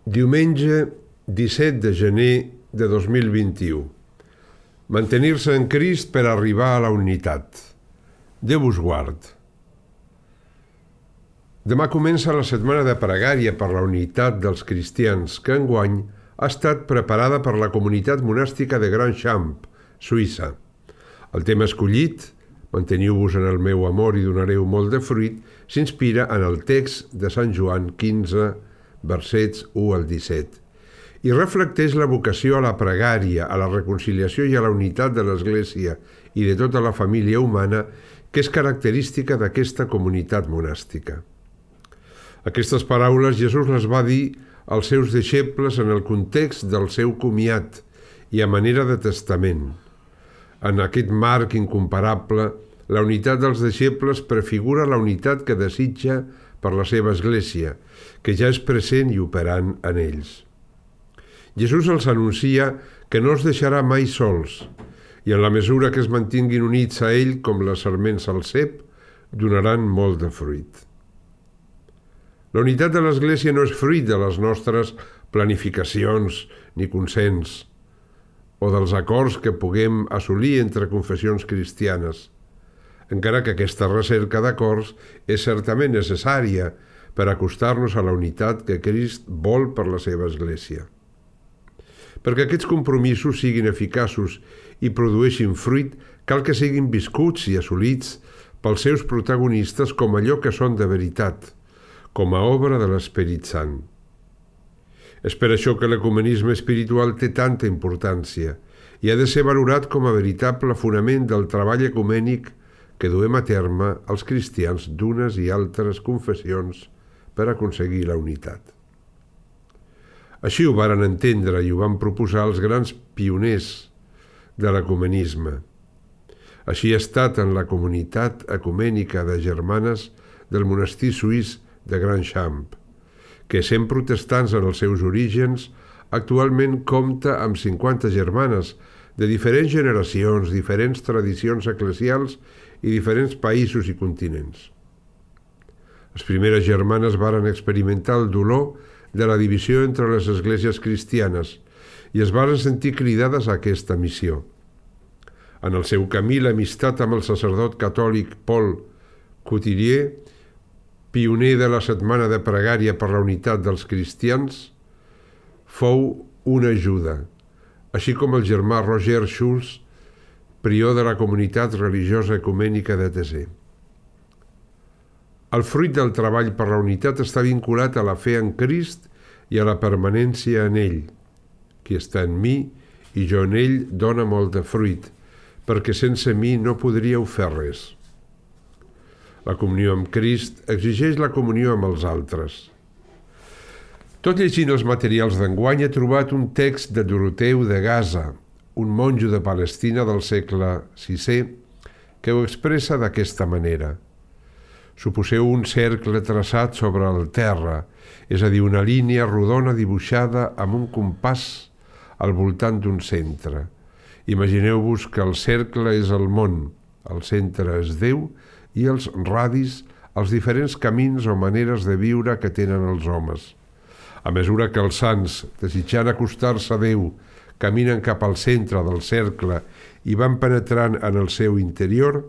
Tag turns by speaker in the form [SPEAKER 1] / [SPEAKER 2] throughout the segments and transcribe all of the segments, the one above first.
[SPEAKER 1] Diumenge 17 de gener de 2021. Mantenir-se en Crist per arribar a la unitat. Déu us guard. Demà comença la setmana de pregària per la unitat dels cristians, que enguany ha estat preparada per la comunitat monàstica de Grand Champ, Suïssa. El tema escollit, manteniu-vos en el meu amor i donareu molt de fruit, s'inspira en el text de Sant Joan 15, versets 1 al 17, i reflecteix la vocació a la pregària, a la reconciliació i a la unitat de l'Església i de tota la família humana, que és característica d'aquesta comunitat monàstica. Aquestes paraules Jesús les va dir als seus deixebles en el context del seu comiat i a manera de testament. En aquest marc incomparable, la unitat dels deixebles prefigura la unitat que desitja per la seva Església, que ja és present i operant en ells. Jesús els anuncia que no els deixarà mai sols, i en la mesura que es mantinguin units a ell com les sarments al cep, donaran molt de fruit. La unitat de l'Església no és fruit de les nostres planificacions ni consens, o dels acords que puguem assolir entre confessions cristianes, encara que aquesta recerca d'acords és certament necessària per acostar-nos a la unitat que Crist vol per la seva Església. Perquè aquests compromisos siguin eficaços i produeixin fruit, cal que siguin viscuts i assolits pels seus protagonistes com allò que són de veritat, com a obra de l'Esperit Sant. És per això que l'ecumenisme espiritual té tanta importància i ha de ser valorat com a veritable fonament del treball ecumènic que duem a terme els cristians d'unes i altres confessions per aconseguir la unitat. Així ho varen entendre i ho van proposar els grans pioners de l'ecumenisme. Així ha estat en la comunitat ecumènica de germanes del monestir suís de Grand Champ, que, sent protestants en els seus orígens, actualment compta amb 50 germanes de diferents generacions, diferents tradicions eclesials i diferents països i continents. Les primeres germanes varen experimentar el dolor de la divisió entre les esglésies cristianes i es varen sentir cridades a aquesta missió. En el seu camí, l'amistat amb el sacerdot catòlic Paul Couturier, pioner de la setmana de pregària per la unitat dels cristians, fou una ajuda, així com el germà Roger Schulz, prior de la comunitat religiosa ecumènica de Thésée. El fruit del treball per la unitat està vinculat a la fe en Crist i a la permanència en ell. Qui està en mi i jo en ell dona molt de fruit, perquè sense mi no podríeu fer res. La comunió amb Crist exigeix la comunió amb els altres. Tot llegint els materials d'enguany he trobat un text de Doroteu de Gaza, un monjo de Palestina del segle VI, que ho expressa d'aquesta manera. Suposeu un cercle traçat sobre el terra, és a dir, una línia rodona dibuixada amb un compàs al voltant d'un centre. Imagineu-vos que el cercle és el món, el centre és Déu i els radis els diferents camins o maneres de viure que tenen els homes. A mesura que els sants, desitjant acostar-se a Déu, caminen cap al centre del cercle i van penetrant en el seu interior,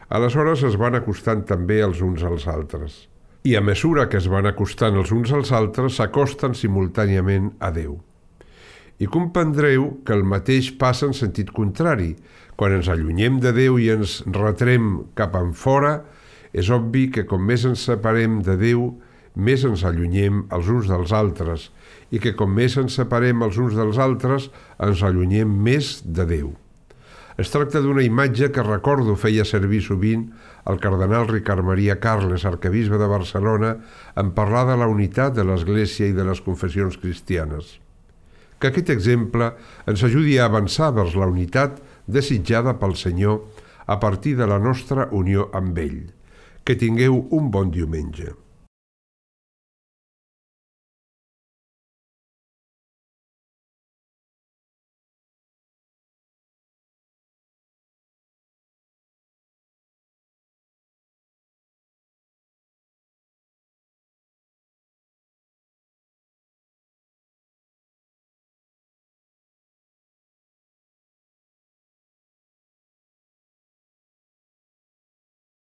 [SPEAKER 1] aleshores es van acostant també els uns als altres. I a mesura que es van acostant els uns als altres, s'acosten simultàniament a Déu. I comprendreu que el mateix passa en sentit contrari. Quan ens allunyem de Déu i ens retrem cap enfora, és obvi que com més ens separem de Déu, més ens allunyem els uns dels altres, i que com més ens separem els uns dels altres, ens allunyem més de Déu. Es tracta d'una imatge que recordo feia servir sovint el cardenal Ricard Maria Carles, arquebisbe de Barcelona, en parlar de la unitat de l'Església i de les confessions cristianes. Que aquest exemple ens ajudi a avançar vers la unitat desitjada pel Senyor a partir de la nostra unió amb ell. Que tingueu un bon diumenge.